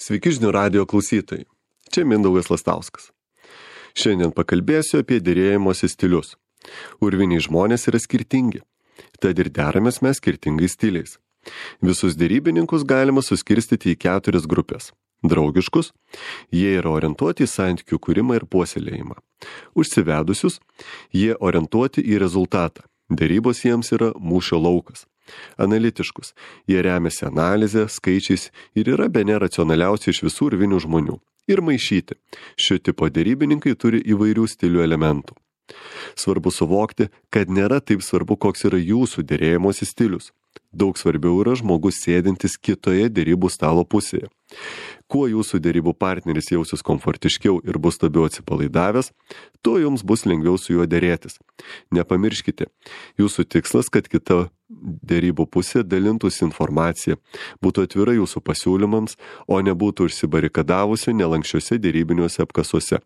Sveiki žinių radijo klausytojai. Čia Mindaugas Lastauskas. Šiandien pakalbėsiu apie derėjimosi stilius. Urviniai žmonės yra skirtingi, tad ir deramės mes skirtingais stiliais. Visus derybininkus galima suskirstyti į 4 grupės. Draugiškus, jie yra orientuoti į santykių kūrimą ir puoselėjimą. Užsivedusius, jie orientuoti į rezultatą. Derybos jiems yra mūšio laukas. Analitiškus, jie remiasi analizę, skaičiais ir yra bene racionaliausi iš visų urvinių žmonių. Ir maišyti. Šio tipo derybininkai turi įvairių stilių elementų. Svarbu suvokti, kad nėra taip svarbu, koks yra jūsų derėjimosi stilius. Daug svarbiau yra žmogus sėdintis kitoje derybų stalo pusėje. Kuo jūsų derybų partneris jausis komfortiškiau ir bus labiau atsipalaidavęs, tuo jums bus lengviau su juo derėtis. Nepamirškite, jūsų tikslas, kad kita derybų pusė dalintųsi informaciją, būtų atvira jūsų pasiūlymams, o nebūtų užsibarikadavusi nelankščiuose derybiniuose apkasuose.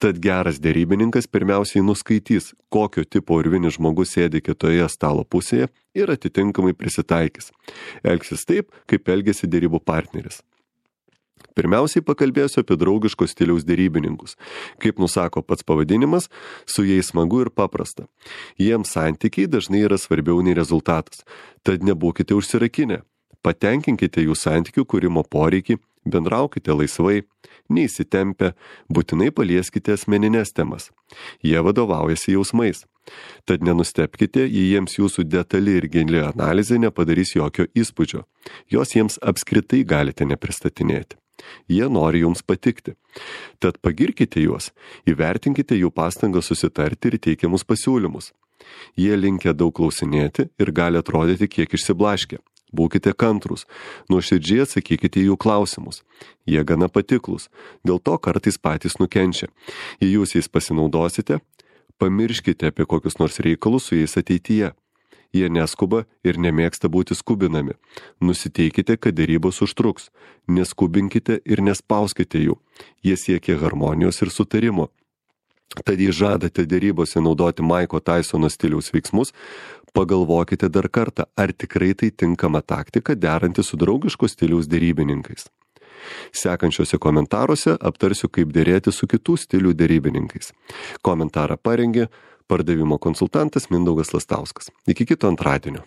Tad geras derybininkas pirmiausiai nuskaitys, kokio tipo urvinis žmogus sėdi kitoje stalo pusėje ir atitinkamai prisitaikys. Elgsis taip, kaip elgiasi derybų partneris. Pirmiausiai pakalbėsiu apie draugiško stiliaus derybininkus. Kaip nusako pats pavadinimas, su jais smagu ir paprasta. Jiems santykiai dažnai yra svarbiau nei rezultatas. Tad nebūkite užsirakinę. Patenkinkite jų santykių kūrimo poreikį, bendraukite laisvai, neįsitempę, būtinai palieskite asmeninės temas. Jie vadovaujasi jausmais. Tad nenustebkite, jei jiems jūsų detali ir gili analizė nepadarys jokio įspūdžio. Jos jiems apskritai galite nepristatinėti. Jie nori jums patikti. Tad pagirkite juos, įvertinkite jų pastangą susitarti ir teikiamus pasiūlymus. Jie linkę daug klausinėti ir gali atrodyti kiek išsiblaškę. Būkite kantrūs, nuoširdžiai atsakykite į jų klausimus. Jie gana patiklus, dėl to kartais patys nukenčia. Jei jūs jais pasinaudosite, pamirškite apie kokius nors reikalus su jais ateityje. Jie neskuba ir nemėgsta būti skubinami. Nusiteikite, kad derybos užtruks. Neskubinkite ir nespauskite jų. Jie siekia harmonijos ir sutarimo. Tad jei žadate derybose naudoti Maiko Taisono stiliaus veiksmus, pagalvokite dar kartą, ar tikrai tai tinkama taktika deranti su draugiško stiliaus derybininkais. Sekančiuose komentaruose aptarsiu, kaip derėti su kitų stilių derybininkais. Komentarą parengė pardavimo konsultantas Mindaugas Lastauskas. Iki kito antradienio.